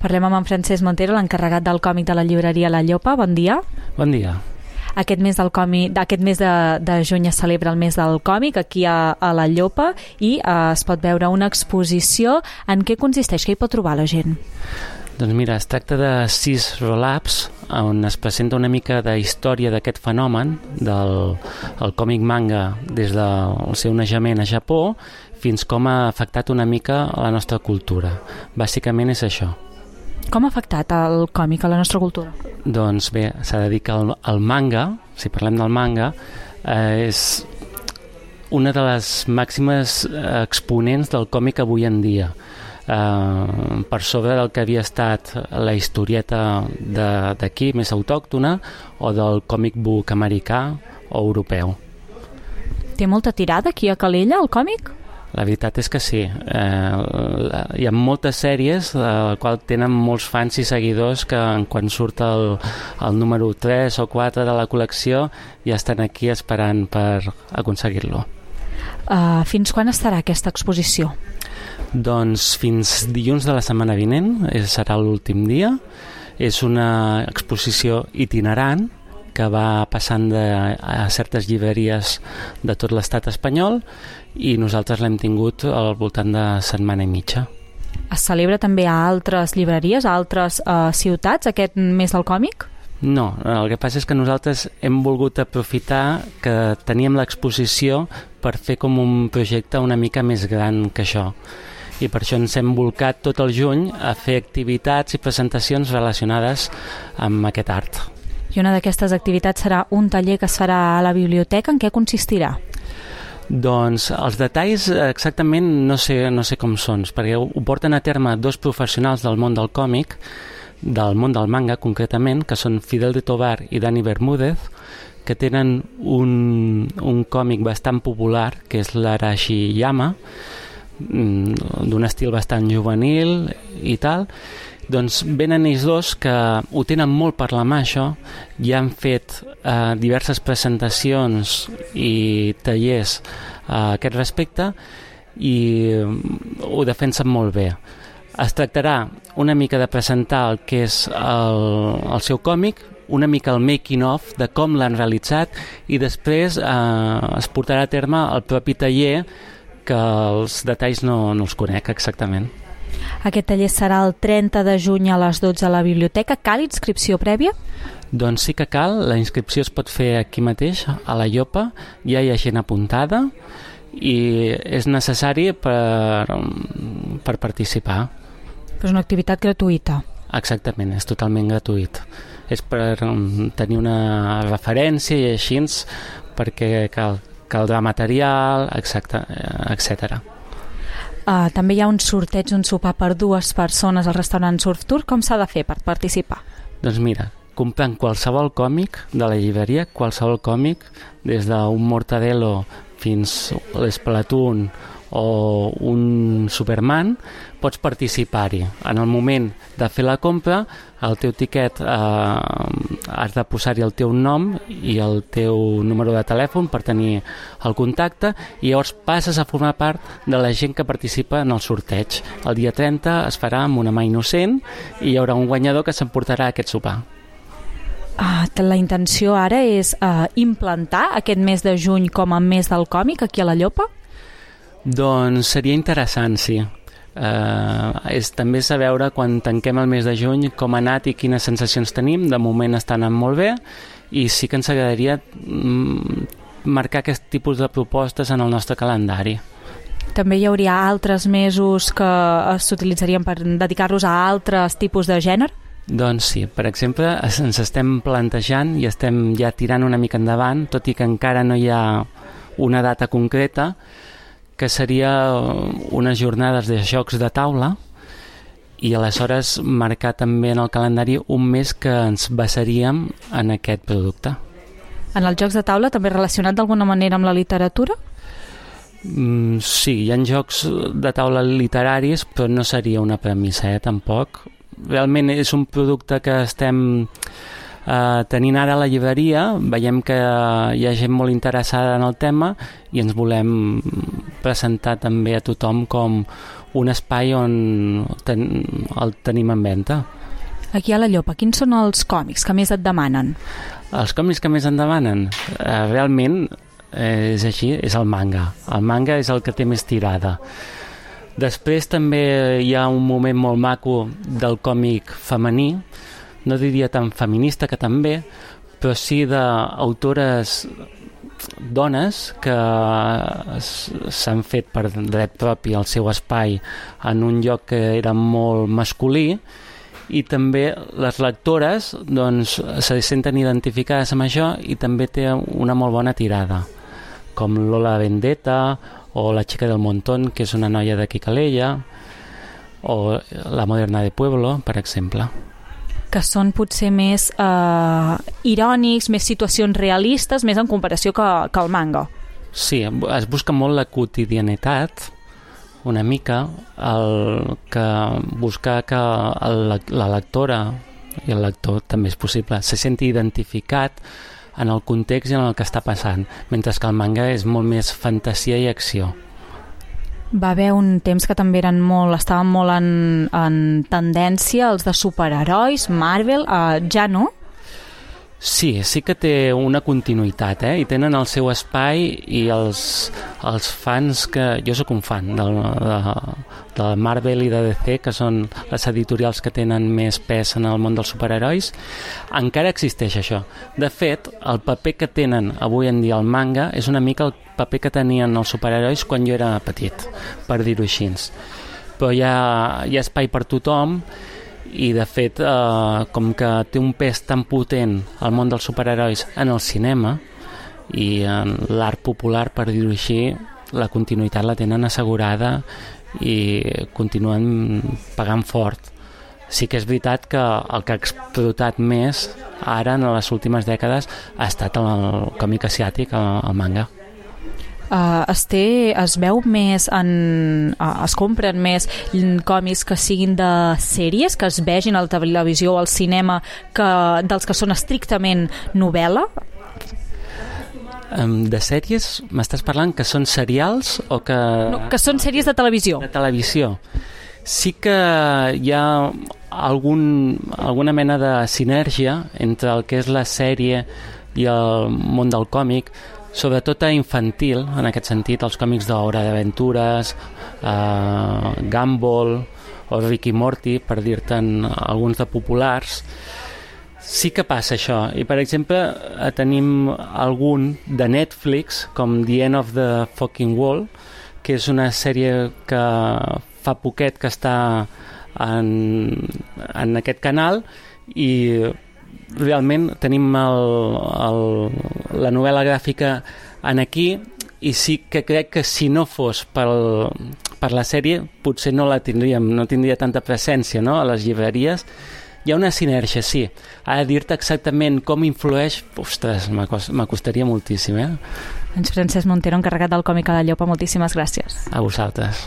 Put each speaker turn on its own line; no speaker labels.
Parlem amb en Francesc Montero, l'encarregat del còmic de la llibreria La Llopa. Bon dia.
Bon dia.
Aquest mes de juny es celebra el mes del còmic aquí a La Llopa i es pot veure una exposició. En què consisteix? Què hi pot trobar la gent?
Doncs mira, es tracta de 6 roll-ups on es presenta una mica de història d'aquest fenomen del còmic manga des del seu naixement a Japó fins com ha afectat una mica la nostra cultura. Bàsicament és això.
Com ha afectat el còmic a la nostra cultura?
Doncs bé, s'ha de dir que el manga, si parlem del manga, és una de les màximes exponents del còmic avui en dia. Per sobre del que havia estat la historieta d'aquí, més autòctona, o del còmic book americà o europeu.
Té molta tirada aquí a Calella, el còmic?
La veritat és que sí. Hi ha moltes sèries les quals tenen molts fans i seguidors que quan surt el número 3 o 4 de la col·lecció ja estan aquí esperant per aconseguir-lo.
Fins quan estarà aquesta exposició?
Doncs fins dilluns de la setmana vinent, serà l'últim dia. És una exposició itinerant que va passant a certes llibreries de tot l'estat espanyol i nosaltres l'hem tingut al voltant de setmana i mitja.
Es celebra també a altres llibreries, a altres ciutats, aquest mes del còmic?
No, el que passa és que nosaltres hem volgut aprofitar que teníem l'exposició per fer com un projecte una mica més gran que això. I per això ens hem volcat tot el juny a fer activitats i presentacions relacionades amb aquest art.
I una d'aquestes activitats serà un taller que es farà a la biblioteca. En què consistirà?
Doncs els detalls exactament no sé com són, perquè ho porten a terme 2 professionals del món del còmic, del món del manga concretament, que són Fidel de Tovar i Dani Bermúdez, que tenen un còmic bastant popular, que és l'Arashiyama, d'un estil bastant juvenil i tal. Doncs venen ells dos que ho tenen molt per la mà això, ja han fet diverses presentacions i tallers a aquest respecte i ho defensen molt bé. Es tractarà una mica de presentar el que és el seu còmic, una mica el making of de com l'han realitzat i després es portarà a terme el propi taller, que els detalls no els conec exactament.
Aquest taller serà el 30 de juny a les 12 a la biblioteca. Cal inscripció prèvia?
Doncs sí que cal. La inscripció es pot fer aquí mateix, a La Llopa. Ja hi ha gent apuntada i és necessari per participar.
És una activitat gratuïta.
Exactament, és totalment gratuït. És per tenir una referència i així perquè caldrà material, etc.
També hi ha un sorteig, un sopar per 2 persones al restaurant Surf Tour. Com s'ha de fer per participar?
Doncs mira, comprant qualsevol còmic de la llibreria, qualsevol còmic, des d'un Mortadelo fins a l'Splatoon o un Superman, pots participar-hi. En el moment de fer la compra, el teu tiquet has de posar-hi el teu nom i el teu número de telèfon per tenir el contacte i llavors passes a formar part de la gent que participa en el sorteig. El dia 30 es farà amb una mà innocent i hi haurà un guanyador que s'emportarà aquest sopar.
La intenció ara és implantar aquest mes de juny com a mes del còmic aquí a La Llopa?
Doncs seria interessant, sí. També és a veure quan tanquem el mes de juny com ha anat i quines sensacions tenim. De moment està anant molt bé i sí que ens agradaria marcar aquest tipus de propostes en el nostre calendari.
També hi hauria altres mesos que s'utilitzarien per dedicar-los a altres tipus de gènere?
Doncs sí, per exemple, ens estem plantejant i estem ja tirant una mica endavant, tot i que encara no hi ha una data concreta, que seria unes jornades de jocs de taula i aleshores marcar també en el calendari un mes que ens basaríem en aquest producte.
En els jocs de taula també relacionat d'alguna manera amb la literatura?
Sí, hi ha jocs de taula literaris, però no seria una premissa, tampoc. Realment és un producte que estem tenint ara a la llibreria, veiem que hi ha gent molt interessada en el tema i ens volem presentar també a tothom com un espai on el tenim en venda.
Aquí a la Llopa, quins són els còmics que més et demanen?
Els còmics que més en demanen? Realment és així, és el manga. El manga és el que té més tirada. Després també hi ha un moment molt maco del còmic femení, no diria tan feminista, que també, però sí d'autores dones que s'han fet per dret propi el seu espai en un lloc que era molt masculí, i també les lectores doncs, se senten identificades amb això i també té una molt bona tirada, com Lola Vendetta o La chica del montón, que és una noia de Calella, o La moderna de Pueblo, per exemple.
Que són potser més irònics, més situacions realistes, més en comparació que el manga.
Sí, es busca molt la quotidianitat, una mica, el que busca que la lectora i el lector també és possible se senti identificat en el context i en el que està passant, mentre que el manga és molt més fantasia i acció.
Va haver un temps que també estaven molt en tendència els de superherois, Marvel, ja no?
Sí que té una continuïtat, i tenen el seu espai, i els fans que... Jo sóc un fan de Marvel i de DC, que són les editorials que tenen més pes en el món dels superherois. Encara existeix això. De fet, el paper que tenen avui en dia el manga és una mica el paper que tenien els superherois quan jo era petit, per dir-ho així. Però hi ha espai per tothom, i de fet com que té un pes tan potent el món dels superherois en el cinema i en l'art popular, per dir-ho així, la continuïtat la tenen assegurada i continuen pagant fort. Sí que és veritat que el que ha explotat més ara en les últimes dècades ha estat el còmic asiàtic, el manga.
Es veu més es compren més còmics que siguin de sèries, que es vegin a la televisió o al cinema, dels que són estrictament novel·la?
De sèries m'estàs parlant que són serials o que...
No, que són sèries de televisió.
De televisió. Sí que hi ha alguna mena de sinergia entre el que és la sèrie i el món del còmic, sobretot a infantil, en aquest sentit, els còmics d'Hora d'Aventures, Gumball o Rick i Morty, per dir-te'n alguns de populars. Sí que passa això, i per exemple tenim algun de Netflix, com The End of the Fucking World, que és una sèrie que fa poquet que està en aquest canal, i realment tenim la novel·la gràfica en aquí, i sí que crec que si no fos per la sèrie potser no la tindríem, no tindria tanta presència, no?, a les llibreries. Hi ha una sinergia, sí. Ara dir-te exactament com influeix, ostres, m'acostaria moltíssim,
Doncs Francesc Montero, encarregat del còmic a la Llopa, moltíssimes gràcies.
A vosaltres.